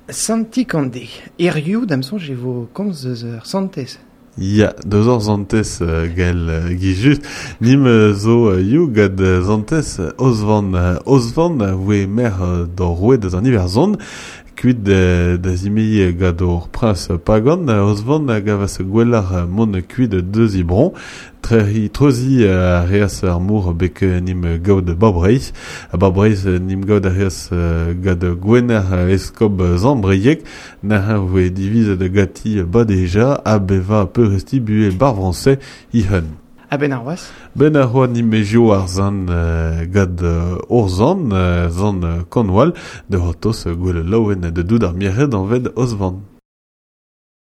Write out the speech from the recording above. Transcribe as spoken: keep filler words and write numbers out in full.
Santi Kande. Eriou da'm soñj e vo komz eus ur santez. Ya, deus ur santez uh, gel uh, gi just. Nim uh, zo uh, you gad uh, santez Osvan. Uh, Osvan a voe mer uh, d'or roue deus an Iwerzhon, kuit da, da zimei gad ur prins pagan, Osvan a gavas gwellar mont kuit deus ibron, treri treuzi a reas ar mour bek nim gaud Barbreiz, a Barbreiz nim gaud a reas gad gwener eskob Zambreiek, na voe divizet gati badeja a beva peuresti bue bar français ihun. A ben ar oaz? Ben ar oa nimejio ar zan uh, gad uh, orzan, uh, zan uh, Cornwall, de hortos uh, gwell laouen de doud ar miret an ved Osvan.